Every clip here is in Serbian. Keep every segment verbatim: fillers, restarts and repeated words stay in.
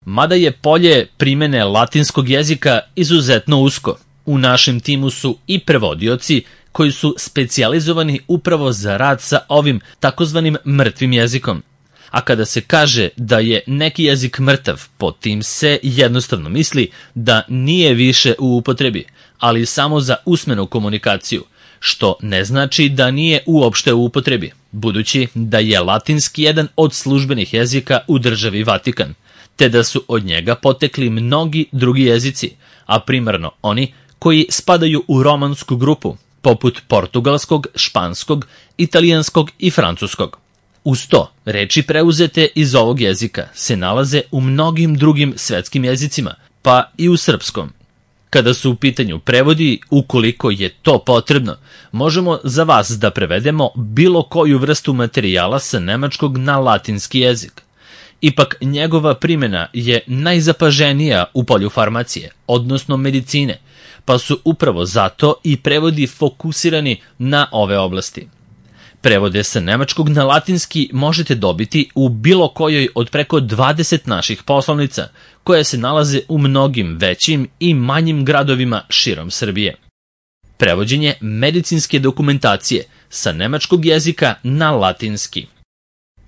Mada je polje primene latinskog jezika izuzetno usko, u našem timu su i prevodioci koji su specijalizovani upravo za rad sa ovim takozvanim mrtvim jezikom. A kada se kaže da je neki jezik mrtav, pod tim se jednostavno misli da nije više u upotrebi, ali samo za usmenu komunikaciju, što ne znači da nije uopšte u upotrebi, budući da je latinski jedan od službenih jezika u državi Vatikan, te da su od njega potekli mnogi drugi jezici, a primarno oni koji spadaju u romansku grupu, poput portugalskog, španskog, italijanskog i francuskog. Uz to, reči preuzete iz ovog jezika se nalaze u mnogim drugim svetskim jezicima, pa i u srpskom. Kada su u pitanju prevodi, ukoliko je to potrebno, možemo za vas da prevedemo bilo koju vrstu materijala sa nemačkog na latinski jezik. Ipak njegova primjena je najzapaženija u polju farmacije, odnosno medicine, pa su upravo zato i prevodi fokusirani na ove oblasti. Prevode sa nemačkog na latinski možete dobiti u bilo kojoj od preko dvadeset naših poslovnica, koje se nalaze u mnogim većim i manjim gradovima širom Srbije. Prevođenje medicinske dokumentacije sa nemačkog jezika na latinski.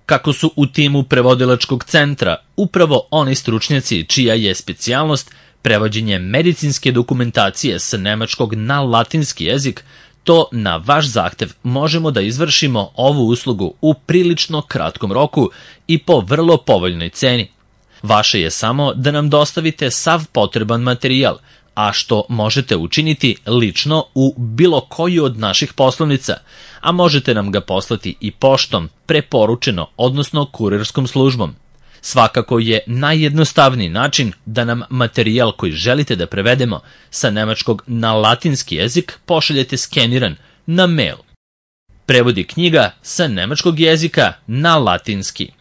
Kako su u timu prevodilačkog centra upravo oni stručnjaci čija je specijalnost prevođenje medicinske dokumentacije sa nemačkog na latinski jezik, to na vaš zahtev možemo da izvršimo ovu uslugu u prilično kratkom roku i po vrlo povoljnoj ceni. Vaše je samo da nam dostavite sav potreban materijal, a što možete učiniti lično u bilo koju od naših poslovnica, a možete nam ga poslati i poštom, preporučeno, odnosno kurirskom službom. Svakako je najjednostavniji način da nam materijal koji želite da prevedemo sa nemačkog na latinski jezik pošaljete skeniran na mail. Prevodi knjiga sa nemačkog jezika na latinski.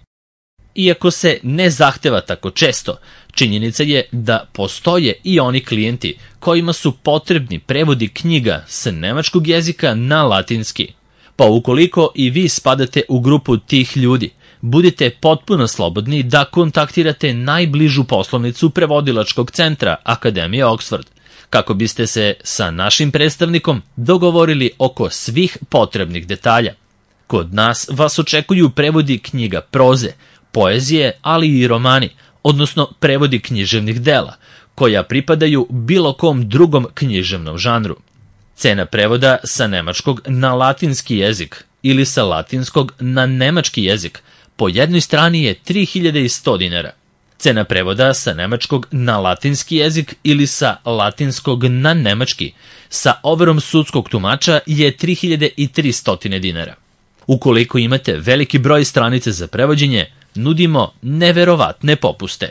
Iako se ne zahteva tako često, činjenica je da postoje i oni klijenti kojima su potrebni prevodi knjiga sa nemačkog jezika na latinski. Pa ukoliko i vi spadate u grupu tih ljudi, budite potpuno slobodni da kontaktirate najbližu poslovnicu prevodilačkog centra Akademije Oxford, kako biste se sa našim predstavnikom dogovorili oko svih potrebnih detalja. Kod nas vas očekuju prevodi knjiga proze, poezije, ali i romani, odnosno prevodi književnih dela, koja pripadaju bilo kom drugom književnom žanru. Cena prevoda sa nemačkog na latinski jezik ili sa latinskog na nemački jezik po jednoj strani je tri hiljade sto dinara. Cena prevoda sa nemačkog na latinski jezik ili sa latinskog na nemački sa overom sudskog tumača je tri hiljade tristo dinara. Ukoliko imate veliki broj stranice za prevođenje, nudimo neverovatne popuste.